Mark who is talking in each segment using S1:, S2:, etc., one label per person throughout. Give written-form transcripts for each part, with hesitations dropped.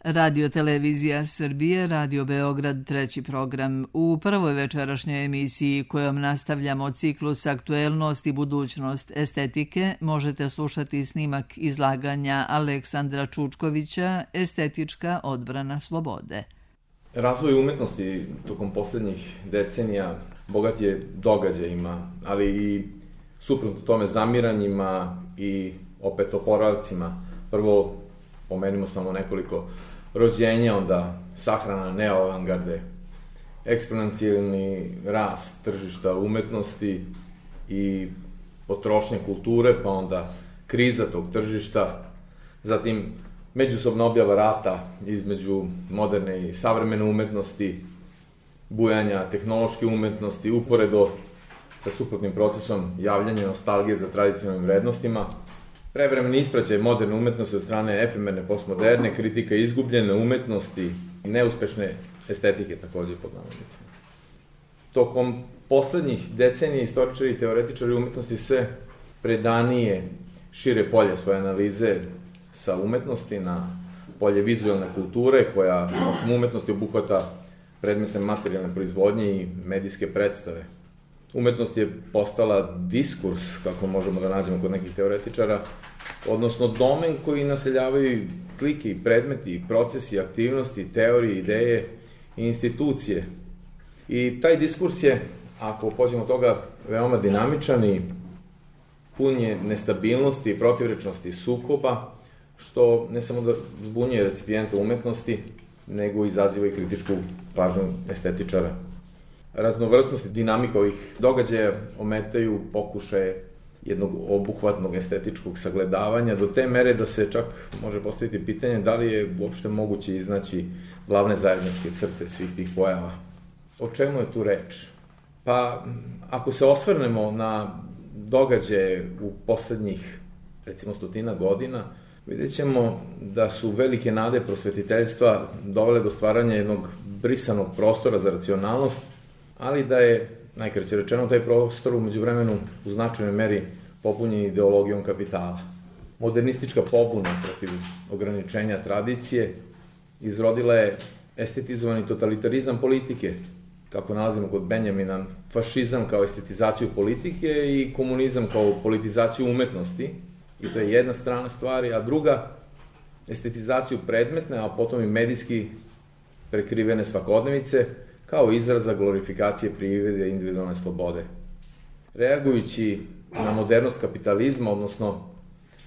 S1: Radio Televizija Srbije, Radio Beograd, treći program. U prvoj večerašnjoj emisiji kojom nastavljamo ciklus Aktuelnost i budućnost estetike možete slušati snimak izlaganja Aleksandra Čučkovića Estetička odbrana slobode.
S2: Razvoj umetnosti tokom poslednjih decenija bogat je događajima, ali i suprotno tome zamiranjima i opet oporavcima. Prvo pomenimo samo nekoliko rođenja, onda sahrana neoavangarde, eksponencijalni rast tržišta umetnosti i potrošnje kulture, pa onda kriza tog tržišta, zatim međusobna objava rata između moderne i savremene umetnosti, bujanja tehnološke umetnosti, uporedo sa suprotnim procesom javljanja nostalgije za tradicionalnim vrednostima, prevremeni ispraćaj moderne umetnosti od strane efemerne postmoderne, kritika izgubljene umetnosti i neuspešne estetike, takođe pod navodnicima. Tokom poslednjih decenija istoričari i teoretičari umetnosti sve predanije šire polje svoje analize sa umetnosti na polje vizualne kulture, koja osim umetnosti obuhvata predmete materijalne proizvodnje i medijske predstave. Umetnost je postala diskurs, kako možemo da nađemo kod nekih teoretičara, odnosno domen koji naseljavaju klike i predmeti, procesi, aktivnosti, teorije, ideje i institucije. I taj diskurs je, ako pođemo od toga, veoma dinamičan i pun je nestabilnosti, protivrečnosti, sukoba, što ne samo da zbunjuje recipijenta umetnosti, nego izaziva i kritičku pažnju estetičara. Raznovrsnost i dinamika ovih događaja ometaju pokušaje jednog obuhvatnog estetičkog sagledavanja do te mere da se čak može postaviti pitanje da li je uopšte moguće iznaći glavne zajedničke crte svih tih pojava. O čemu je tu reč? Pa, ako se osvrnemo na događaje u poslednjih, recimo, 100 godina, vidjet ćemo da su velike nade prosvetiteljstva dovele do stvaranja jednog brisanog prostora za racionalnost, ali da je, najkraće rečeno, taj prostor umeđu vremenu u značajnoj meri popunjen ideologijom kapitala. Modernistička pobuna protiv ograničenja tradicije izrodila je estetizovani totalitarizam politike, kako nalazimo kod Benjamina, fašizam kao estetizaciju politike i komunizam kao politizaciju umetnosti, i to je jedna strana stvari, a druga, estetizaciju predmetne, a potom i medijski prekrivene svakodnevice, kao izraza glorifikacije privrede i individualne slobode. Reagujući na modernost kapitalizma, odnosno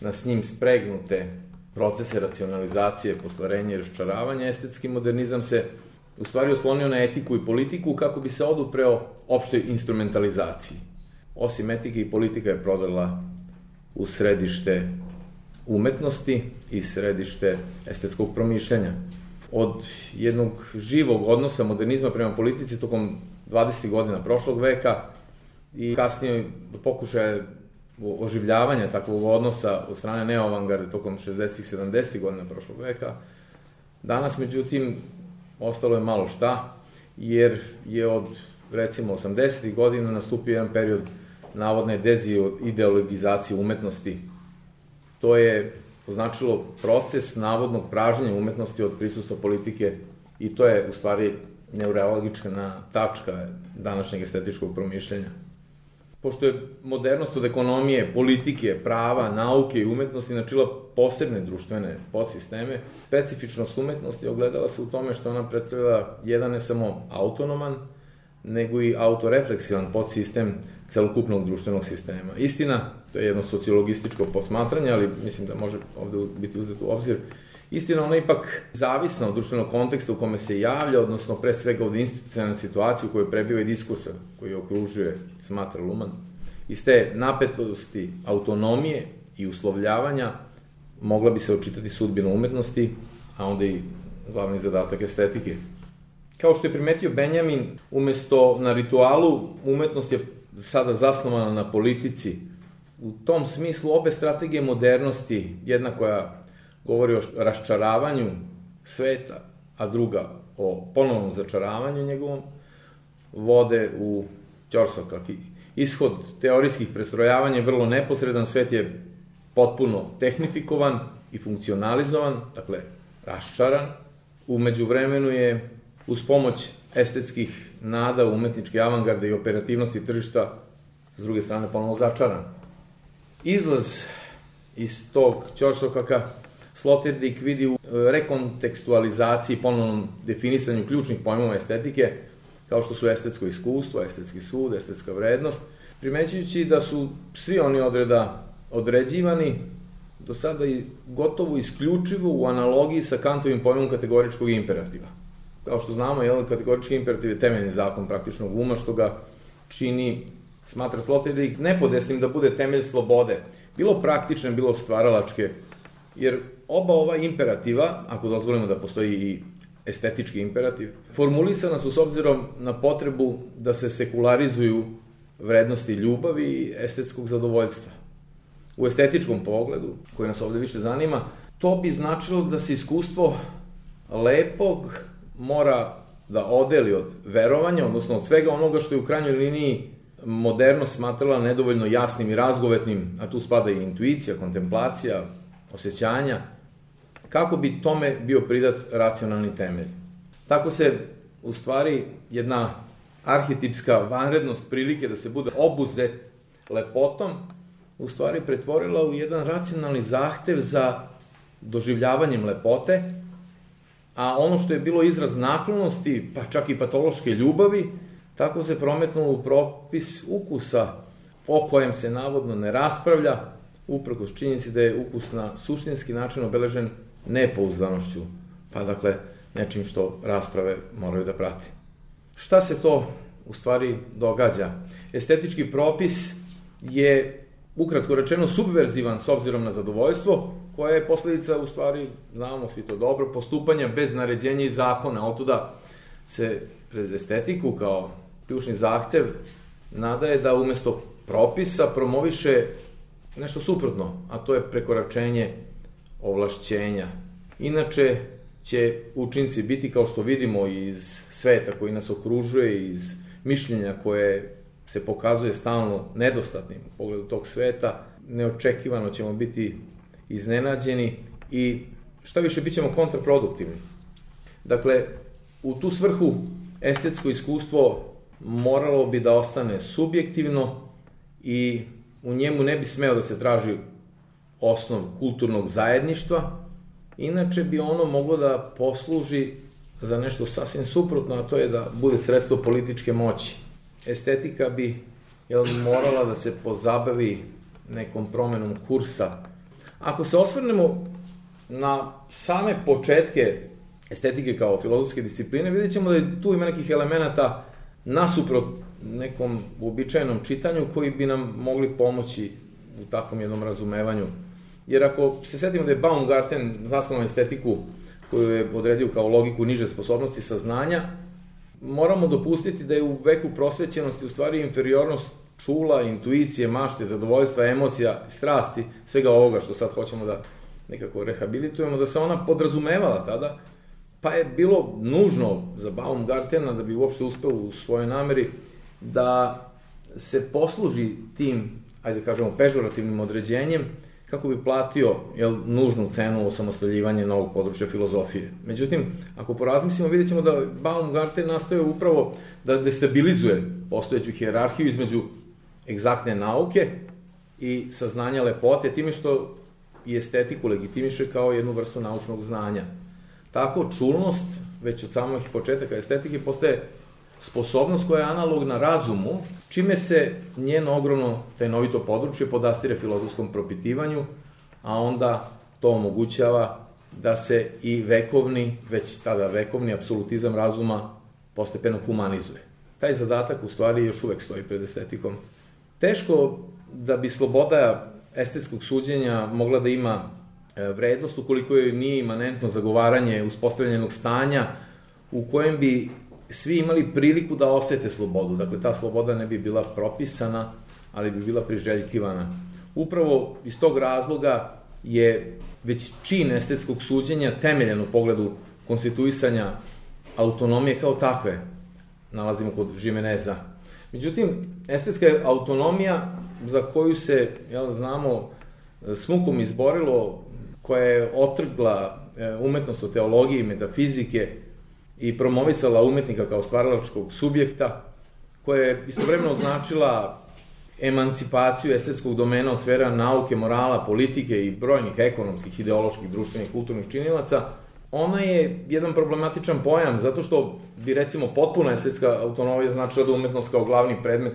S2: na s njim spregnute procese racionalizacije, postvarenja i raščaravanja, estetski modernizam se u stvari oslonio na etiku i politiku kako bi se odupreo opštoj instrumentalizaciji. Osim etike i politika je prodala u središte umetnosti i središte estetskog promišljanja. Od jednog živog odnosa modernizma prema politici tokom 20. godina prošlog veka i kasnije pokušaja oživljavanja takvog odnosa od strane neoavangarde tokom 60. 70. godina prošlog veka, danas, međutim, ostalo je malo šta, jer je od, recimo, 80. godina nastupio jedan period navodne dezideologizacije umetnosti. To je označilo proces navodnog pražnjenja umetnosti od prisustva politike i to je, u stvari, neuralgična tačka današnjeg estetičkog promišljanja. Pošto je modernost od ekonomije, politike, prava, nauke i umetnosti načela posebne društvene podsisteme, specifičnost umetnosti ogledala se u tome što ona predstavlja jedan ne samo autonoman, nego i autorefleksivan podsistem celokupnog društvenog sistema. Istina, to je jedno sociologističko posmatranje, ali mislim da može ovde biti uzeto u obzir, istina, ona je ipak zavisna od društvenog konteksta u kome se javlja, odnosno pre svega od institucionalne situacije u kojoj prebiva i diskursa koji okružuje, smatra Luhmann. Iz te napetosti autonomije i uslovljavanja mogla bi se očitati sudbina umetnosti, a onda i glavni zadatak estetike. Kao što je primetio Benjamin, umesto na ritualu, umetnost je sada zasnovana na politici. U tom smislu obe strategije modernosti, jedna koja govori o raščaravanju sveta, a druga o ponovnom začaravanju njegovom, vode u ćorsokak. Ishod teorijskih prestrojavanja je vrlo neposredan, svet je potpuno tehnifikovan i funkcionalizovan, dakle, raščaran. U međuvremenu je uz pomoć estetskih nada, umetničke avangarde i operativnosti tržišta s druge strane ponovno začaran. Izlaz iz tog ćorsokaka Sloterdijk vidi u rekontekstualizaciji, ponovnom definisanju ključnih pojmova estetike, kao što su estetsko iskustvo, estetski sud, estetska vrednost, primećujući da su svi oni odreda određivani do sada i gotovo isključivo u analogiji sa Kantovim pojmom kategoričkog imperativa. Kao što znamo, kategorički imperativ je temeljni zakon praktičnog uma, što ga čini, smatra Sloterdijk, nepodesnim da bude temelj slobode, bilo praktične, bilo stvaralačke, jer oba ova imperativa, ako dozvolimo da postoji i estetički imperativ, formulisana su s obzirom na potrebu da se sekularizuju vrednosti ljubavi i estetskog zadovoljstva. U estetičkom pogledu, koji nas ovde više zanima, to bi značilo da se iskustvo lepog mora da odeli od verovanja, odnosno od svega onoga što je u krajnjoj liniji modernost smatrala nedovoljno jasnim i razgovetnim, a tu spada i intuicija, kontemplacija, osjećanja, kako bi tome bio pridat racionalni temelj. Tako se, u stvari, jedna arhetipska vanrednost prilike da se bude obuzet lepotom, u stvari pretvorila u jedan racionalni zahtev za doživljavanjem lepote, a ono što je bilo izraz naklonosti, pa čak i patološke ljubavi, tako se prometnulo u propis ukusa, o kojem se navodno ne raspravlja, uprkos činjenici da je ukus na suštinski način obeležen nepouzdanošću, pa dakle nečim što rasprave moraju da prati. Šta se to u stvari događa? Estetički propis je, ukratko rečeno, subverzivan s obzirom na zadovoljstvo, koja je posledica, u stvari, znamo svi to dobro, postupanja bez naređenja i zakona. Otuda se pred estetiku kao ključni zahtev nadaje da umesto propisa promoviše nešto suprotno, a to je prekoračenje ovlašćenja. Inače će učinci biti, kao što vidimo iz sveta koji nas okružuje, iz mišljenja koje se pokazuje stalno nedostatnim u pogledu tog sveta, neočekivano ćemo biti iznenađeni i šta više bit ćemo kontraproduktivni. Dakle, u tu svrhu estetsko iskustvo moralo bi da ostane subjektivno i u njemu ne bi smeo da se traži osnov kulturnog zajedništva, inače bi ono moglo da posluži za nešto sasvim suprotno, a to je da bude sredstvo političke moći. Estetika bi morala da se pozabavi nekom promenom kursa. Ako se osvrnemo na same početke estetike kao filozofske discipline, vidjet ćemo da tu ima nekih elemenata nasuprot nekom uobičajenom čitanju koji bi nam mogli pomoći u takvom jednom razumevanju. Jer ako se setimo da je Baumgarten zasnovao estetiku koju je odredio kao logiku niže sposobnosti saznanja, moramo dopustiti da je u veku prosvećenosti u stvari inferiornost čula, intuicije, mašte, zadovoljstva, emocija, strasti, svega ovoga što sad hoćemo da nekako rehabilitujemo, da se ona podrazumevala tada, pa je bilo nužno za Baumgartena da bi uopšte uspeo u svojoj nameri da se posluži tim, ajde kažemo, pežorativnim određenjem kako bi platio nužnu cenu osamostaljivanja novog područja filozofije. Međutim, ako porazmislimo, vidjet ćemo da Baumgarten nastaje upravo da destabilizuje postojeću hijerarhiju između egzaktne nauke i saznanja lepote, time što i estetiku legitimiše kao jednu vrstu naučnog znanja. Tako, čulnost, već od samih početaka estetike, postaje sposobnost koja je analogna razumu, čime se njeno ogromno tajnovito područje podastire filozofskom propitivanju, a onda to omogućava da se i vekovni, već tada vekovni apsolutizam razuma postepeno humanizuje. Taj zadatak u stvari još uvek stoji pred estetikom. Teško da bi sloboda estetskog suđenja mogla da ima vrednost ukoliko joj nije imanentno zagovaranje uspostavljenog stanja u kojem bi svi imali priliku da osete slobodu. Dakle, ta sloboda ne bi bila propisana, ali bi bila priželjkivana. Upravo iz tog razloga je već čin estetskog suđenja temeljen u pogledu konstituisanja autonomije kao takve. Nalazimo kod Žimeneza. Međutim, estetska autonomija za koju se, znamo, s mukom izborilo, koja je otrgla umetnost od teologije i metafizike i promovisala umetnika kao stvaralačkog subjekta, koja je istovremeno značila emancipaciju estetskog domena od sfera nauke, morala, politike i brojnih ekonomskih, ideoloških, društvenih, kulturnih činilaca, ona je jedan problematičan pojam, zato što bi, recimo, potpuna estetska autonomija značila da umetnost kao glavni predmet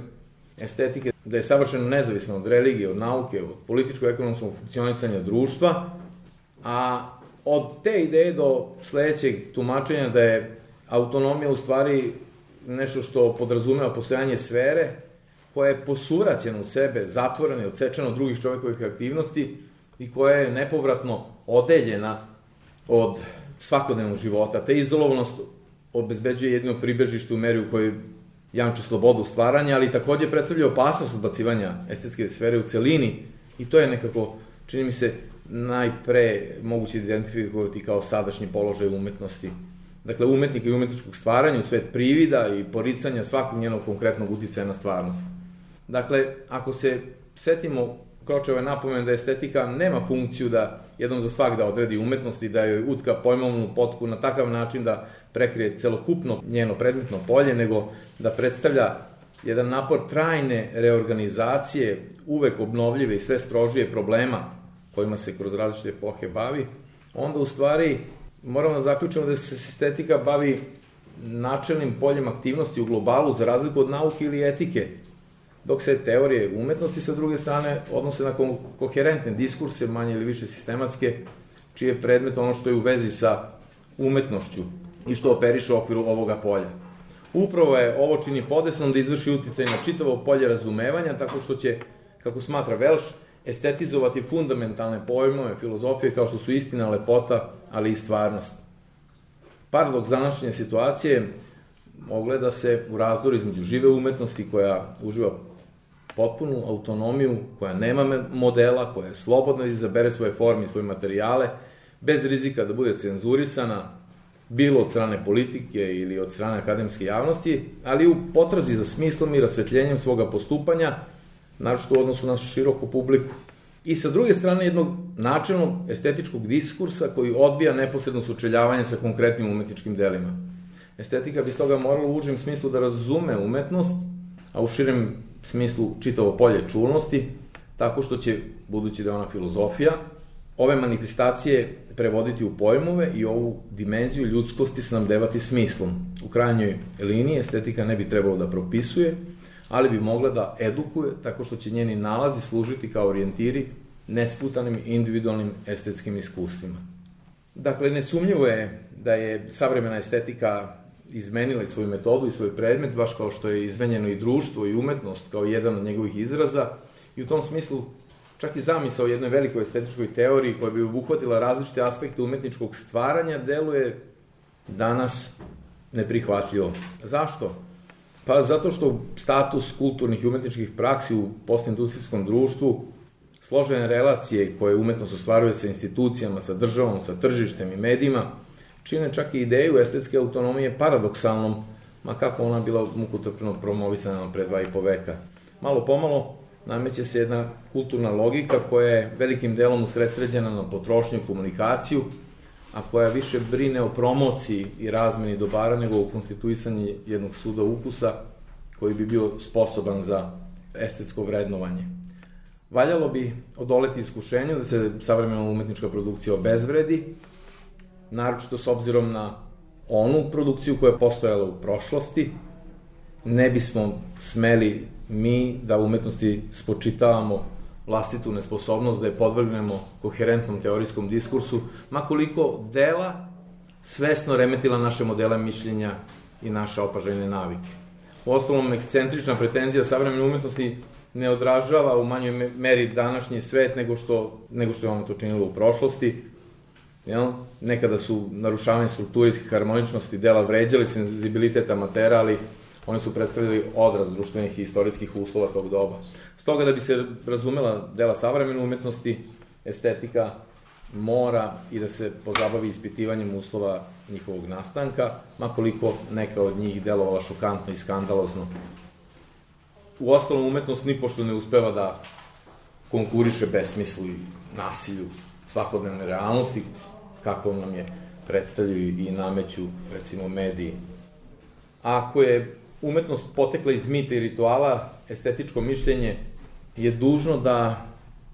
S2: estetike, da je savršeno nezavisna od religije, od nauke, od političko-ekonomskog funkcionisanja društva, a od te ideje do sledećeg tumačenja da je autonomija u stvari nešto što podrazumeva postojanje sfere koja je posuraćena u sebe, zatvorena i odsečena od drugih čovekovih aktivnosti i koja je nepovratno odeljena od svakodnevnog života. Te izolovanost obezbeđuje jedno pribežište u meri u kojoj jamči slobodu stvaranja, ali takođe predstavlja opasnost odbacivanja estetske sfere u celini i to je nekako, čini mi se, najpre moguće identifikovati kao sadašnji položaj umetnosti. Dakle, umetnika i umetničkog stvaranja u svet privida i poricanja svakog njenog konkretnog uticaja na stvarnost. Dakle, ako se setimo Kročeve napomene da estetika nema funkciju da jednom za svak da odredi umetnost i da joj utka pojmovnu potku na takav način da prekrije celokupno njeno predmetno polje, nego da predstavlja jedan napor trajne reorganizacije, uvek obnovljive i sve strožije problema kojima se kroz različite epohe bavi, onda u stvari moramo da zaključimo da se estetika bavi načelnim poljem aktivnosti u globalu za razliku od nauke ili etike, dok se teorije umetnosti sa druge strane odnose na koherentne diskurse, manje ili više sistematske, čiji je predmet ono što je u vezi sa umetnošću i što operiše u okviru ovoga polja. Upravo je ovo čini podesnom da izvrši uticaj na čitavo polje razumevanja, tako što će, kako smatra Velš, estetizovati fundamentalne pojmove filozofije kao što su istina, lepota, ali i stvarnost. Paradoks današnje situacije ogleda se u razdoru između žive umetnosti koja uživa potpunu autonomiju, koja nema modela, koja je slobodna da izabere svoje forme i svoje materijale, bez rizika da bude cenzurisana, bilo od strane politike ili od strane akademske javnosti, ali u potrazi za smislom i rasvetljenjem svoga postupanja, naročito u odnosu na široku publiku. I sa druge strane jednog načelnog estetičkog diskursa koji odbija neposredno sučeljavanje sa konkretnim umetničkim delima. Estetika bi stoga morala u užem smislu da razume umetnost, a u širem smislu čitavo polje čulnosti, tako što će, budući da je ona filozofija, ove manifestacije prevoditi u pojmove i ovu dimenziju ljudskosti snabdevati smislom. U krajnjoj liniji estetika ne bi trebalo da propisuje, ali bi mogla da edukuje tako što će njeni nalazi služiti kao orijentiri nesputanim individualnim estetskim iskustvima. Dakle, nesumnjivo je da je savremena estetika izmenila i svoju metodu i svoj predmet, baš kao što je izmenjeno i društvo i umetnost kao jedan od njegovih izraza, i u tom smislu čak i zamisao o jednoj velikoj estetičkoj teoriji koja bi obuhvatila različite aspekte umetničkog stvaranja deluje danas neprihvatljivo. Zašto? Pa zato što status kulturnih i umetničkih praksi u postindustrijskom društvu, složene relacije koje umetnost ostvaruje sa institucijama, sa državom, sa tržištem i medijima, čine čak i ideju estetske autonomije paradoksalnom, ma kako ona bila mukotrpno promovisana pre 2,5 veka. Malo pomalo nameće se jedna kulturna logika koja je velikim delom usredsređena na potrošnju i komunikaciju, a koja više brine o promociji i razmeni dobara nego o konstituisanju jednog suda ukusa koji bi bio sposoban za estetsko vrednovanje. Valjalo bi odoleti iskušenju da se savremena umetnička produkcija obezvredi, naročito s obzirom na onu produkciju koja je postojala u prošlosti. Ne bismo smeli mi da umetnosti spočitavamo vlastitu nesposobnost da je podvrgnemo koherentnom teorijskom diskursu, makoliko dela svesno remetila naše modele mišljenja i naše opažajne navike. U ostalom, ekscentrična pretenzija savremene umetnosti ne odražava u manjoj meri današnji svet nego što je ono to činilo u prošlosti. Nekada su narušavanje strukturijskih harmoničnosti dela vređali senzibilitet amatera, ali oni su predstavljali odraz društvenih i istorijskih uslova tog doba. Stoga da bi se razumela dela savremene umetnosti, estetika mora i da se pozabavi ispitivanjem uslova njihovog nastanka, makoliko neka od njih delovala šokantno i skandalozno. U ostalom, umetnost nipošto ne uspeva da konkuriše besmislu i nasilju svakodnevne realnosti, kako nam je predstavljaju i nameću, recimo, mediji. Ako je umetnost potekla iz mita i rituala, estetičko mišljenje je dužno da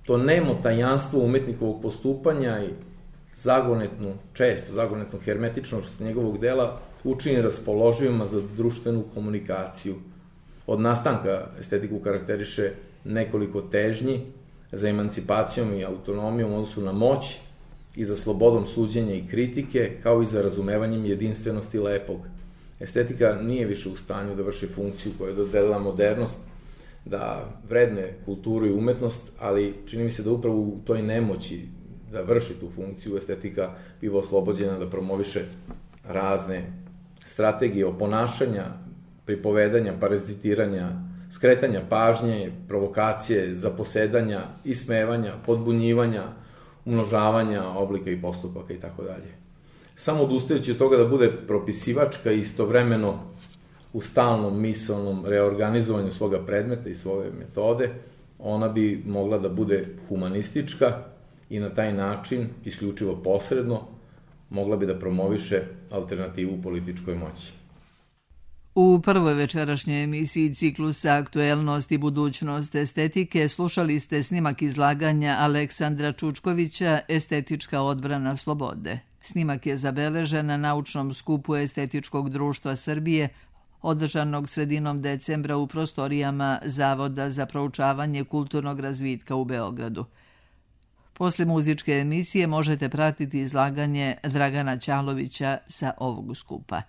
S2: to nemo tajanstvo umetnikovog postupanja i zagonetnu hermetičnost njegovog dela učini raspoloživima za društvenu komunikaciju. Od nastanka estetiku karakteriše nekoliko težnji za emancipacijom i autonomijom u odnosu na moć i za slobodom suđenja i kritike, kao i za razumevanjem jedinstvenosti lepog. Estetika nije više u stanju da vrši funkciju koju je dodelila modernost, da vredne kulturu i umetnost, ali čini mi se da upravo u toj nemoći da vrši tu funkciju estetika biva oslobođena da promoviše razne strategije oponašanja, pripovedanja, parazitiranja, skretanja pažnje, provokacije, zaposedanja, ismevanja, podbunjivanja, umnožavanja oblika i postupaka itd. Samo odustajući od toga da bude propisivačka i istovremeno u stalnom misalnom reorganizovanju svoga predmeta i svoje metode, ona bi mogla da bude humanistička i na taj način, isključivo posredno, mogla bi da promoviše alternativu političkoj moći.
S1: U prvoj večerašnjoj emisiji ciklusa Aktuelnost i budućnost estetike slušali ste snimak izlaganja Aleksandra Čučkovića Estetička odbrana slobode. Snimak je zabeležen na naučnom skupu Estetičkog društva Srbije, održanog sredinom decembra u prostorijama Zavoda za proučavanje kulturnog razvitka u Beogradu. Posle muzičke emisije možete pratiti izlaganje Dragana Ćalovića sa ovog skupa.